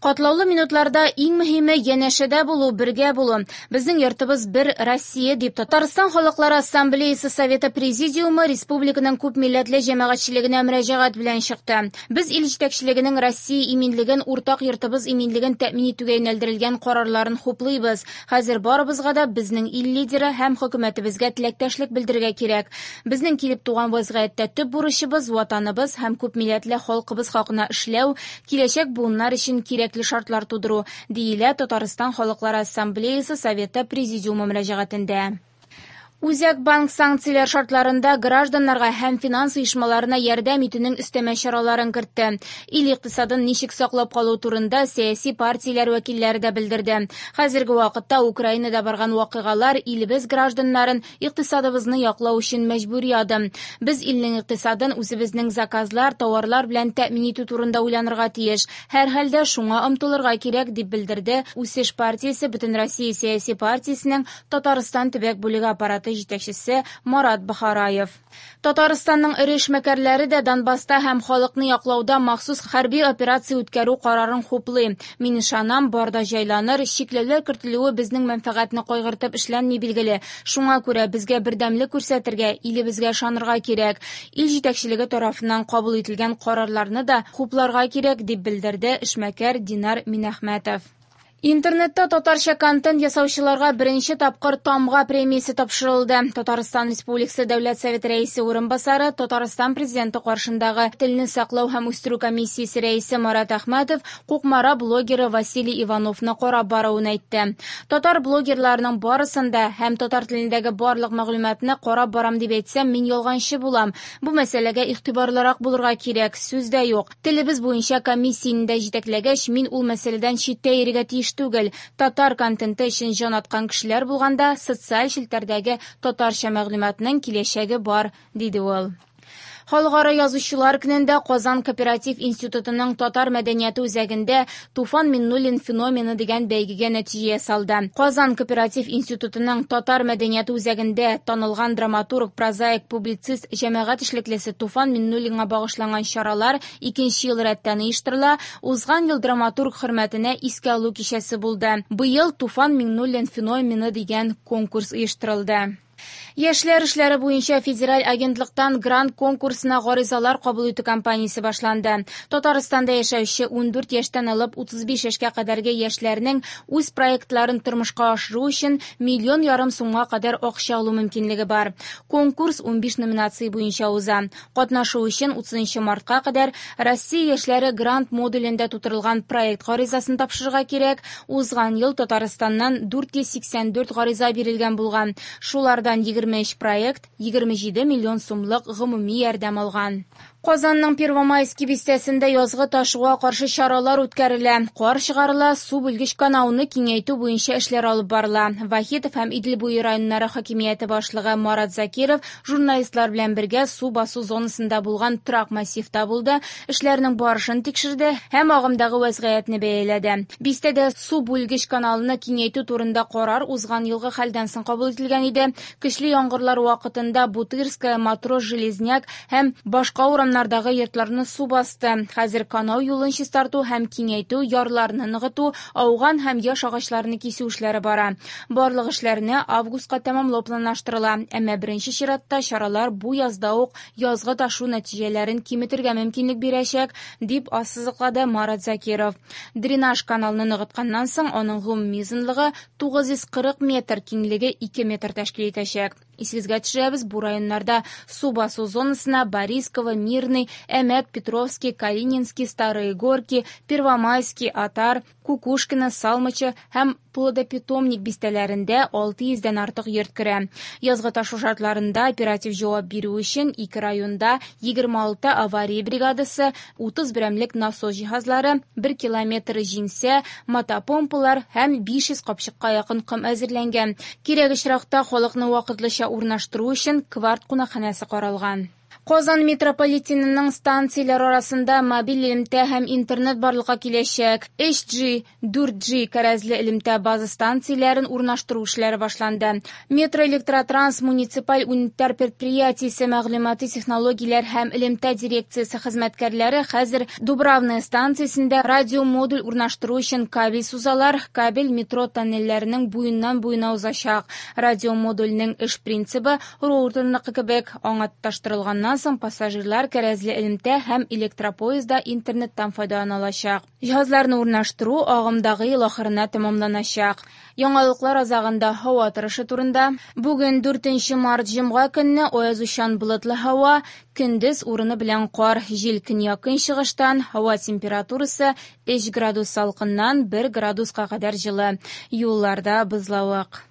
Катлаулы минутларда иң мөһиме янәшәдә булу, бергә булу. Безнең йортыбыз бер Россия, дип Татарстан Халыклары Ассамблеясы Советы Президиумы республиканың күпмилләтле җәмәгатьчелегенә мөрәҗәгать белән чыкты. Без ил җитәкчелегенең Россия иминлеген, уртак йортыбыз иминлеген тәэмин итүгә юнәлдерелгән карарларын хуплыйбыз. Хәзер барыбызга да безнең ил лидеры һәм хөкүмәтебезгә теләктәшлек белдерергә кирәк. Безнең килеп туган вазгыятьтә төп бурычыбыз, Ватаныбыз һәм күпмилләтле халкыбыз хакына эшләү, киләчәк буыннар өчен кирәкле шартлар тудыру, диелә Татарстан Халыклары Ассамблеясы Советы Президиумы мөрәҗәгатендә. Үзәк банк санкцияләр шартларында гражданнарга һәм финанс оешмаларына ярдәм итүнең өстәмә чараларын кертте. Ил икътисадын ничек саклап калу турында сәяси партияләр вәкилләре дә белдерде. Хәзерге вакытта Украинада барган вакыйгалар илебез гражданнарын икътисадыбызны яклау өчен мәҗбүри адым. Без илнең икътисадын үзебезнең заказлар, тауарлар белән тәэмин итү турында уйланырга тиеш. Һәрхәлдә шуңа омтылырга кирәк, дип белдерде Үсеш партиясе Бөтенроссия сәяси партиясенең Татарстан төбәк бүлеге аппараты җитәкчесе Марат Бохараев. Татарстанның эре эшмәкәрләре дә Донбасста һәм халыкны яклауда махсус хәрби операция үткәрү карарын хуплый. Мин ышанам, бар да җайланыр, чикләүләр кертелүе безнең мәнфәгатьне кайгыртып эшләнми билгеле. Шуңа күрә безгә бердәмлек күрсәтергә, илебезгә ышанырга кирәк. Ил җитәкчелеге тарафыннан кабул ителгән карарларны да хупларга кирәк, дип белдерде эшмәкәр Динар Минәхмәтов. Интернетта татарча контент ясаучыларга беренче тапкыр Тамга премиясе тапшырылды. Татарстан Республикасы Дәүләт Советы Рәисе урынбасары, Татарстан Президенты каршындагы Телне саклау һәм үстерү комиссиясе рәисе Марат Әхмәтов Кукмара блогеры Василий Ивановны карап баруын әйтте. Татар блогерларының барысын да һәм татар телендәге барлык мәгълүматны карап барам дип әйтсәм, мин ялганчы булам. Бу мәсьәләгә игътибарлырак булырга кирәк, сүз дә юк. Телебез буенча комиссияне дә җитәкләгәч, мин ул мәсьәләдән читтә йөрергә тиеш түгел. Татар контенты өчен җан аткан кешеләр булганда, социаль челтәрдәге татарча мәгълүматның киләчәге бар, диде ул. Халыкара язучылар көнендә Казан кооператив институтының Татар мәдәнияте үзәгендә Туфан Миннуллин феномены дигән бәйгегә нәтиҗә ясалды. Казан кооператив институтының Татар мәдәнияте үзәгендә танылган драматург, прозаик, публицист, җәмәгать эшлеклесе Туфан Миннуллинга багышланган чаралар икенче ел рәттән оештырыла. Узган ел драматург хөрмәтенә искә алу кичәсе булды. Быел Туфан Миңнуллин феномены дигән конкурс оештырылды. Яшьләр эшләре буенча федераль агентлыктан грант конкурсына гаризалар кабул итү кампаниясе башланды. Татарстанда яшәүче 14 яшьтән алып 35 яшькә кадәрге яшьләрнең үз проектларын тормышка ашыру өчен миллион ярым сумга кадәр акча алу мөмкинлеге бар. Конкурс 15 номинация буенча уза. Катнашу өчен 30 мартка кадәр Россия яшьләре грант модулендә тутырылган проект гаризасын тапшырырга кирәк. Узган ел Татарстаннан 484 гариза бирелгән булган. Шулардан 23 проект 27 миллион сумлык гомуми ярдәм алган. Казанның Первомайский бистәсендә язгы ташуга каршы чаралар үткәрелә. Кар чыгарыла, су бүлгеч канауны киңәйтү буенча эшләр алып барыла. Вахитов һәм Идел буе районнары хакимияте башлыгы Марат Закиров журналистлар белән бергә су басу зонасында булган торак массивта булды, эшләрнең барышын тикшерде һәм агымдагы вәзгыятьне бәяләде. Бистәдә су бүлгеч каналны киңәйтү турында карар узган елгы хәлдән соң кабул ителгән иде. Көчле яңгырлар вакытында Бутырская, Матрос, Железняк һәм башка урамнардагы йортларны су басты. Хәзер канау юлын чистарту һәм киңәйтү, ярларны ныгыту, ауган һәм яшь агачларны кисү эшләре бара. Барлык эшләрне августка тәмамлау планлаштырыла. Әмма беренче чиратта чаралар бу язда ук язгы ташу нәтиҗәләрен киметергә мөмкинлек бирәчәк, дип ассызыклады Марат Закиров. Дренаж каналны ныгытканнан соң аның гомуми озынлыгы 940 метр, киңлеге 2 метр тәшкил итәчәк. Исегезгә төшерәбез, бу районнарда су басу зонасына Борисково, Мирный, Әмәт, Петровский, Калининский, Старые Горки, Первомайский, Атар, Кукушкино, Салмачы һәм Плодопитомник бистәләрендә 600 дән артык йорт керә. Язгы ташу шартларында оператив җавап бирү өчен ике районда 26 авария бригадасы, 30 берәмлек насос җиһазлары, 1 километр җиңсә, мотопомпалар һәм 500 капчыкка якын ком әзерләнгән. Кирәк очракта халыкны вакытлыча урнаштыру өчен кварт кунакханәсе каралган. Казан метрополитенының станцияләре арасында мобиль элемтә һәм интернет барлыкка киләчәк. 3G, 4G кәрәзле элемтә база станцияләрен урнаштыру эшләре башланды. Метроэлектротранс муниципаль унитар предприятиесе мәгълүмати технологияләр һәм элемтә дирекциясе хезмәткәрләре хәзер Дубравная станциясендә радиомодуль урнаштыру өчен кабель сузалар. Кабель метро тоннельләренең буеннан буена узачак. Радиомодульнең эш принцибы роутерныкы кебек, аңа тоташтырылганнан соң пассажирлар кәрәзле элемтә һәм электропоездда интернеттан файдалана алачак. Җиһазларны урнаштыру агымдагы ел ахырына тәмамланачак. Яңалыклар азагында һава торышы турында. Бүген 4 март җомга көнне аязучан болытлы һава, көндез урыны белән кар, җил көньяк-көнчыгыштан, һава температурасы 3 градус салкыннан 1 градуска кадәр җылы. Юлларда бозлавык.